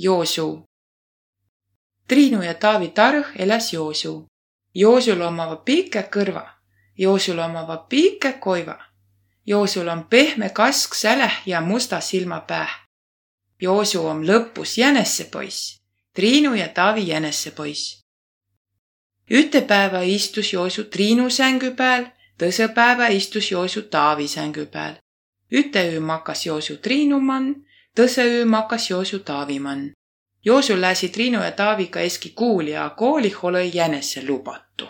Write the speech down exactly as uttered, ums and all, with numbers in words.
Joosu. Triinu ja Taavi tarõh eläs Joosu. Joosul ommava pikkä kõrva. Joosul ommava pikkä koiva. Joosul om pehme kask säläh ja musta silma pääh. Joosu om lõpus jänessepõiss. Triinu ja Taavi jänessepõiss. Ütte päävä istus Joosu Triinu sängü pääl, tõsõ päävä istus Joosu Taavi sängü pääl. Ütte üü makas Joosu Triinu man, tõsõ üü makas Joosu Taavi man. Joosu lääsi Triinu ja Taaviga eski kuuli, a koolih olõ-i jänesse lubatu.